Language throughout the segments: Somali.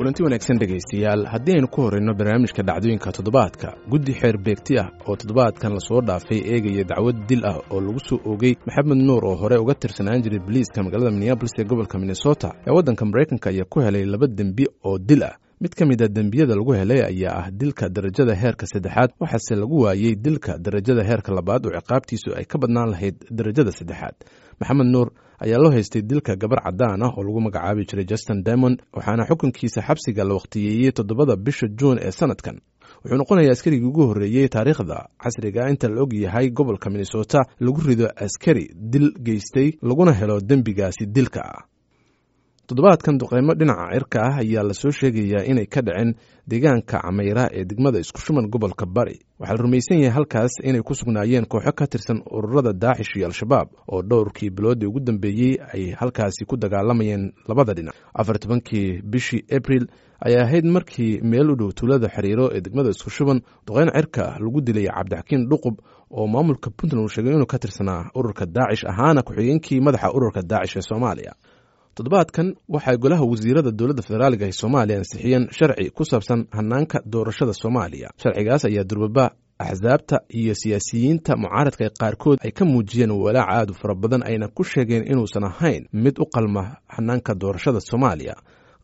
Kulanti wanaagsan dhegaystayaal, haddii aynu ku horreyno barnaamijka dhacdooyinka toddobaadka, guddi xeer beegti ah oo toddobaadkan lasoo dhaafay eegaya dacwad dil ah oo lagu soo oogay Maxamed Nuur oo hore uga tirsanaan jiray boliiska magaalada Minneabolis ee gobolka Minnesota ee waddanka Maraykanka ayaa ku helay laba dembi oo dil ah. Mid ka mid a dembiyada lagu helay ayaa ah dilka darajada heerka saddexaad, waxaase lagu waayey dilka darajada heerka labaad oo ciqaabtiisu ay ka badnaan lahayd darajada saddexaad. Maxamed Nuur ayaa loo haystay dilka gabar caddaan ah oo lagu magacaabi jiray Justin Dimond, waxaana xukunkiisa xabsiga la wakhtiyeeyey 7da bisha Juun ee sanadkan. Wuxuu noqonayaa askarigii ugu horreeyey taariikhda casriga inta la og yahay gobolka Minnesota lagu rido askari dil geystay laguna helo dembigaasi dilka ah. Toddobaadkan duqeymo dhinaca cirka ah ayaa lasoo sheegayaa inay ka dhaceen deegaanka Cameyra ee degmada Isku Shuman, gobolka Bari. Waxaa la rumaysan yahay halkaas inay ku sugnaayeen kooxo ka tirsan ururada Daacish iyo Al-Shabaab oo dhowrkii biloodii ugu dambeeyey ay halkaasi ku dagaalamayeen labada dhinac. 14kii bishii Abril ayaa ahayd markii meel u dhow tuulada Xiriiro ee degmada Isku Shuban duqeyn cirka lagu dilay Cabdixakiin Dhuqub oo maamulka Puntland uu sheegay inuu ka tirsanaa ururka Daacish, ahaana ku-xigeenkii madaxa ururka Daacish ee Soomaaliya. Toddobaadkan waxay golaha wasiirada dowladda federaaliga ee Soomaaliya ansixiyeen sharci ku saabsan hanaanka doorashada Soomaaliya. Sharcigaas ayaa durbaba axsaabta iyo siyaasiyiinta mucaaradka qaarkood ay ka muujiyeen walaac aad u fara badan, ayna ku sheegeen inuusan ahayn mid u qalma hanaanka doorashada Soomaaliya.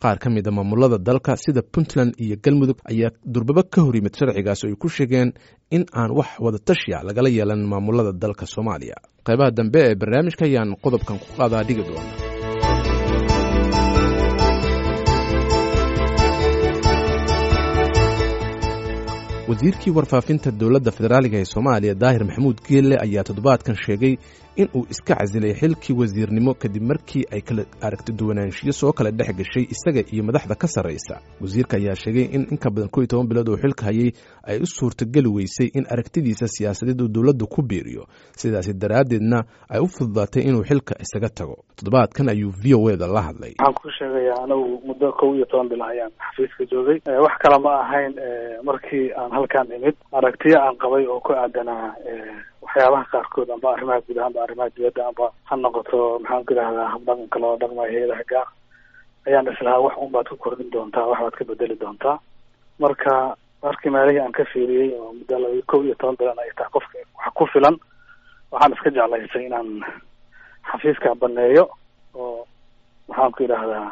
Qaar ka mid a maamulada dalka sida Puntland iyo Galmudug ayaa durbaba ka hor yimid sharcigaas oo ay ku sheegeen in aan wax wadatashiya lagala yeelan maamulada dalka Soomaaliya. Qaybaha dambe ee barnaamijka ayaan qodobkan ku qaadaa dhigi doona. Wasiirkii warfaafinta dowladda federaaliga ee Soomaaliya Daahir Maxamuud Geelle ayaa toddobaadkan sheegay in uu iska casilay xilkii wasiirnimo kadib markii ay kala aragti duwanaanshiyo soo kala dhex gashay isaga iyo madaxda ka sarraysa. Wasiirka ayaa sheegay in inka badan 11 bilood uu xilka hayay ay u suurtogeli weysay in aragtidiisa siyaasadeed uu dowladdu ku biiriyo, sidaasi daraaddeedna ay u fududaatay inuu xilka isaga tago. Toddobaadkan ayuu V O E da la hadlay. Waxaan ku sheegayaa anigu muddo 11 bil ayaan xafiiska joogay. Wax kale ma ahayn, markii aan halkaan imid aragtiyo aan qabay oo ku aadanaa waxyaabaha qaarkood, amba arrimaha gudaha amba arrimaha dibadda, amba ha noqoto maxaan ku idhahdaa habdhaqanka loola dhaqmayo hay-adaha gaar, ayaan islahaa wax un baad ku kordhin doontaa, wax baad ka bedeli doontaa. Marka markii meelihii aan ka fiiriyey oo muddo 11 bilan ay tahay qofka wax ku filan, waxaan iska jeclaystay inaan xafiiska baneeyo oo maxaan ku idhahdaa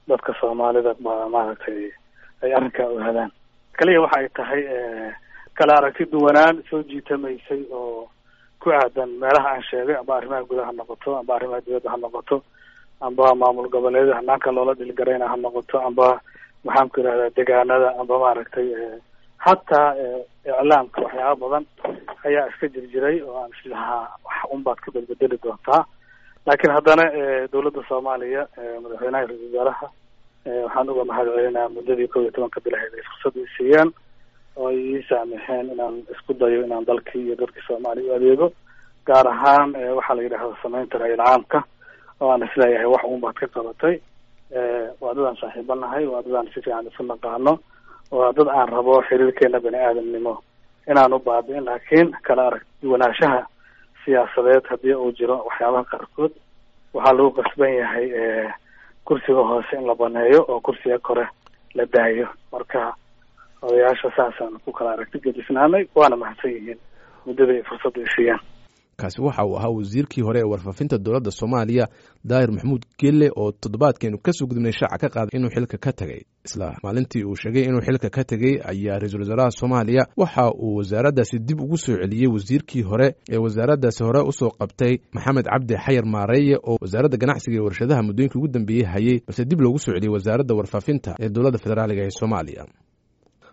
dadka Soomaalida maaragtay ay arrinkaa ogaadaan. Kaliya waxa ay tahay kala aragti duwanaan soo jiitamaysay oo ku aadan meelaha aan sheegay, amba arrimaha gudaha ha noqoto, amba arrimaha dibadda ha noqoto, amba maamul goboleedyada hanaanka loola dhilgarayna ha noqoto, amba maxaan ku yidhahdaa degaanada, amba maaragtay hataa iclaamka. Waxyaaba badan ayaa iska jirjiray oo aan islahaa wax un baad ka bedbedeli doontaa. Laakiin haddana dowladda Soomaaliya, madaxweynaha, ra-isul wasaaraha, waxaan uga mahad celinayaa muddadii 11ka bilaheed ay fursad ii siiyeen oo ay ii saamixeen inaan isku dayo inaan dalkii iyo dadkii Soomaaliya u adeego, gaar ahaan waxaa la yidhahda samaynta ra-iil caamka oo aan isleeyahay wax uun baad ka qabatay. Waa dad aan saaxiibanahay, waa dad aan si fiican isu naqaano, waa dad aan rabo xiriirkeena bani aadamnimo inaan u baabi'in, laakiin kala arag duwanaanshaha siyaasadeed haddii uu jiro waxyaabaha qaarkood waxaa lagu qasban yahay kursiga hoose in la baneeyo oo kursiga kore la daayo. Marka odayaasha saasaan ku kala aragti gedisnaanay, waana mahadsan yihiin muddada ay fursadda i siiyaan. Kaasi waxa uu ahaa wasiirkii hore ee warfaafinta dowladda Soomaaliya Daahir Maxamuud Geelle oo toddobaadkeenu kasoo gudubnay shaaca ka qaaday inuu xilka ka tegay. Isla maalintii uu sheegay inuu xilka ka tegey ayaa ra-iisul wasaaraha Soomaaliya waxa uu wasaaraddaasi dib ugu soo celiyey wasiirkii hore ee wasaaraddaasi hore usoo qabtay, Maxamed Cabdi Xayar Maareeye, oo wasaaradda ganacsiga iyo warshadaha muddooyinkii ugu dambeeyey hayay, balse dib loogu soo celiyey wasaaradda warfaafinta ee dowladda federaaliga ee Soomaaliya.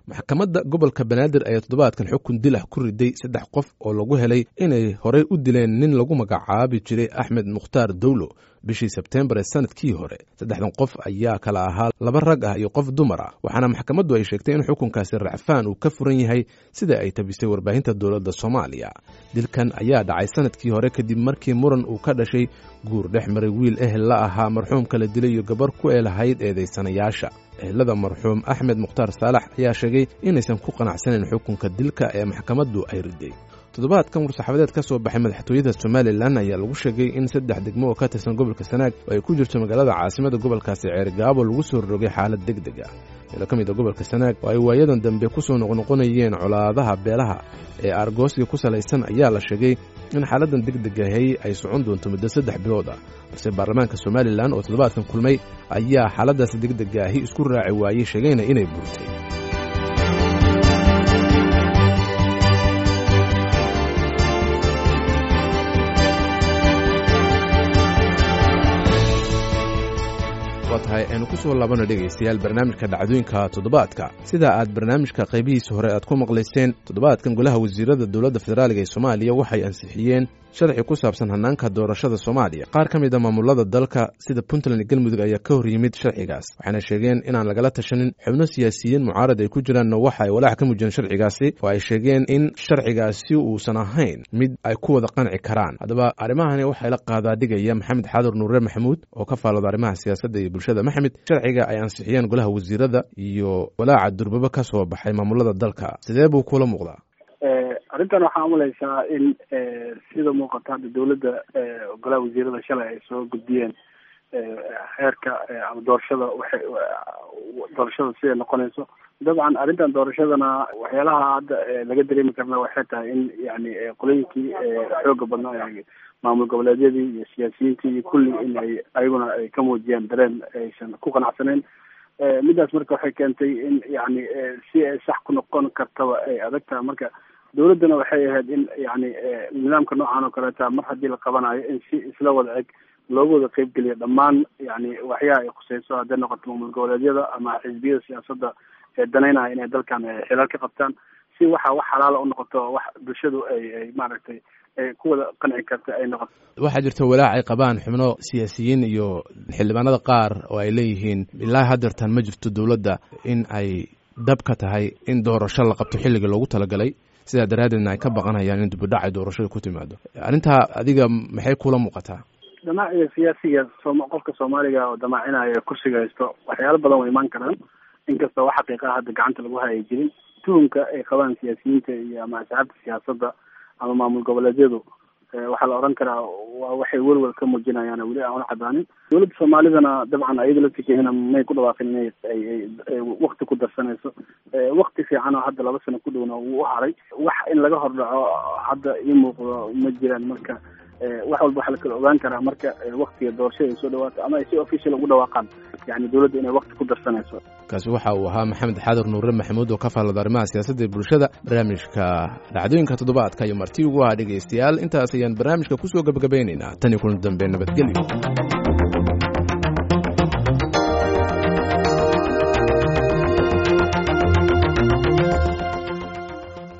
Maxkamadda gobolka Banaadir ayaa toddobaadkan xukun dil ah ku riday saddex qof oo lagu helay inay horey u dileen nin lagu magacaabi jiray Axmed Mukhtaar Dowlo bishii Sebteembar ee sanadkii hore. Saddexdan qof ayaa kala ahaa laba rag ah iyo qof dumar ah, waxaana maxkamaddu ay sheegtay in xukunkaasi racfaan uu ka furan yahay, sida ay tabisay warbaahinta dowladda Soomaaliya. Dilkan ayaa dhacay sanadkii hore kadib markii muran uu ka dhashay guur dhex maray wiil ehel la ahaa marxuumka la dilay iyo gabar ku eelahayd eedaysanayaasha. Ehelada marxuum Axmed Mukhtaar Saalax ayaa sheegay inaysan ku qanacsanayn xukunka dilka ee maxkamaddu ay riday. Toddobaadkan war-saxaafadeed ka soo baxay madaxtooyada Somalilan ayaa lagu sheegay in 3 degmo oo ka tirsan gobolka Sanaag oo ay ku jirto magaalada caasimada gobolkaasi Ceergaabo lagu soo rogay xaalad degdeg ah. Meelo ka mid a gobolka Sanaag oo ay waayadan dambe ku soo noqnoqonayeen colaadaha beelaha ee aargoosiga ku salaysan ayaa la sheegay in xaaladdan degdeg ahi ay socon doonto muddo 3 bilood ah. Balse baarlamaanka Somalilan oo toddobaadkan kulmay ayaa xaaladdaasi degdeg ahi isku raaci waayey, sheegayna inay burtay. Tahay aynu ku soo laabano dhegaystayaal barnaamijka dhacdooyinka toddobaadka. Sida aad barnaamijka qaybihiisa hore aad ku maqlayseen, toddobaadkan golaha wasiirada dowladda federaaliga ee Soomaaliya waxay ansixiyeen sharci ku saabsan hannaanka doorashada Soomaaliya. Qaar ka mid a maamulada dalka sida Puntland iyo Galmudug ayaa ka hor yimid sharcigaas, waxayna sheegeen inaan lagala tashanin. Xubno siyaasiyiin mucaarad ay ku jiraanna waxa ay walaac ka muujiyeen sharcigaasi oo ay sheegeen in sharcigaasi uusan ahayn mid ay ku wada qanci karaan. Haddaba arrimahani waxay la qaadaadhigaya Maxamed Xaadir Nuure Maxamuud oo ka faalooda arrimaha siyaasadda iyo bulshada. Maxamed, sharciga ay ansixiyeen golaha wasiirada iyo walaaca durbaba ka soo baxay maamulada dalka, sidee buu kula muuqdaa? Arrintan waxaa umalaysaa in sida muuqata hadda dawladda golaha wasiirada shalay ay soo gudbiyeen xeerka ama doorashada, waxay doorashada siday noqonayso. Dabcan arrintan doorashadana waxyaalaha hadda laga dareemi karna waxay tahay in yani qolooyinkii xooga badnaa maamul goboleedyadii iyo siyaasiyiintii iyo kulli in ay ayaguna ay ka muujiyaan dareen aysan ku qanacsaneyn. Midaas marka waxay keentay in yani si ay sax ku noqon kartaba ay adag tahay. Marka dawladdana waxay ahayd in yani nidaamka noocan oo kaleeta mar haddii la qabanayo in si isla wada eg loogu wada qeybgeliyo dhammaan yani waxyaha ay khuseyso, hadday noqoto maamul goboleedyada ama xisbiyada siyaasadda ee danaynaya inay dalkan xilal ka qabtaan, si waxa wax xalaala u noqoto, wax bulshadu ay maaragtay ay ku wada qanci karta ay noqoto. Waxaa jirta walaac ay qabaan xubno siyaasiyiin iyo xildhibaanada qaar oo ay leeyihiin ilaa haddeertan ma jirto dowladda in ay dab ka tahay in doorasho la qabto xilliga loogu talagalay, sidaa daraaddeedna ay ka baqanayaan in dibudhac ay doorashada ku timaado. Arrintaa adiga maxay kula muuqataa? Damaaciga siyaasiga qofka Soomaaliga oo damaacinaya kursiga haysto waxyaalo badan way imaan karaan, inkastoo wax xaqiiqaha hadda gacanta lagu hayay jirin. Tuhumka ay qabaan siyaasiyiinta iyo ama asxaabta siyaasadda ama maamul goboleedyadu waxaa la oran karaa waa waxay welwel ka muujinayaan weli aan cadaanin. Dowladda Soomaalidana dabcan ayada laftirkeedana may ku dhawaaqin inay ay wakti ku darsanayso. Wakti fiican oo hadda 2 sano ku dhowna wuu u haray, wax in laga hordhaco hadda ii muuqdo ma jiraan. Marka wax walba waxaa la kala ogaan karaa marka waktiga doorashada ay soo dhawaato ama ay si official ugu dhawaaqaan yani dowladda inay wakti ku darsanayso. Kaasi waxa uu ahaa Maxamed Xaadir Nuure Maxamuud oo ka faallada arrimaha siyaasadda ee bulshada. Barnaamijka dhacdooyinka toddobaadka iyo marti ugu ahaa dhegaystayaal, intaas ayaan barnaamijka kusoo gabagabaynaynaa. Tan iyo kulan dambe, nabadgelyo.